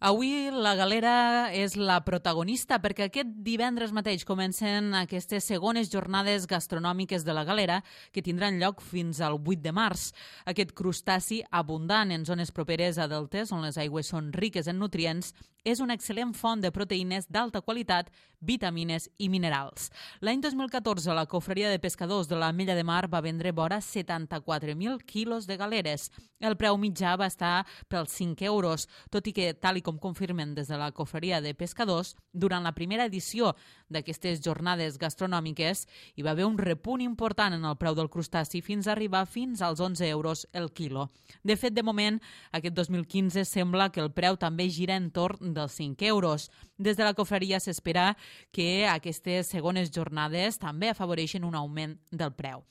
Avui la Galera és la protagonista perquè aquest divendres mateix comencen aquestes segones jornades gastronòmiques de la Galera que tindran lloc fins al 8 de març. Aquest crustaci abundant en zones properes a deltes on les aigües són riques en nutrients és una excel·lent font de proteïnes d'alta qualitat, vitamines i minerals. L'any 2014 la Cofreria de Pescadors de l'Ametlla de Mar va vendre vora 74.000 quilos de galeres. El preu mitjà va estar pels 5 euros, tot i que, tal i com confirmen des de la Cofreria de Pescadors, durant la primera edició d'aquestes jornades gastronòmiques hi va haver un repunt important en el preu del crustaci fins a arribar fins als 11 euros el quilo. De fet, de moment, aquest 2015 sembla que el preu també gira entorn dels 5 euros. Des de la Cofreria s'espera que aquestes segones jornades també afavoreixen un augment del preu.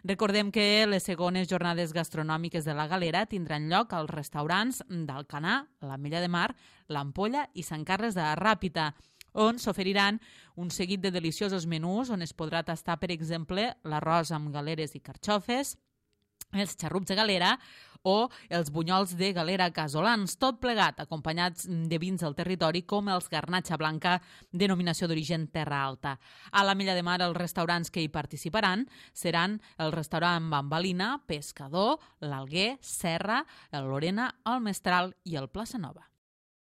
Recordem que les segones jornades gastronòmiques de la Galera tindran lloc als restaurants d'Alcanar, l'Ametlla de Mar, l'Ampolla i Sant Carles de la Ràpita, on s'oferiran un seguit de deliciosos menús on es podrà tastar, per exemple, l'arròs amb galeres i carxofes, els xarrups de galera o els bunyols de galera casolans, tot plegat acompanyats de vins del territori com els Garnatxa Blanca, denominació d'origen Terra Alta. A l'Ametlla de Mar els restaurants que hi participaran seran el restaurant Bambalina, Pescador, l'Alguer, Serra, el Lorena, el Mestral i el Plaça Nova.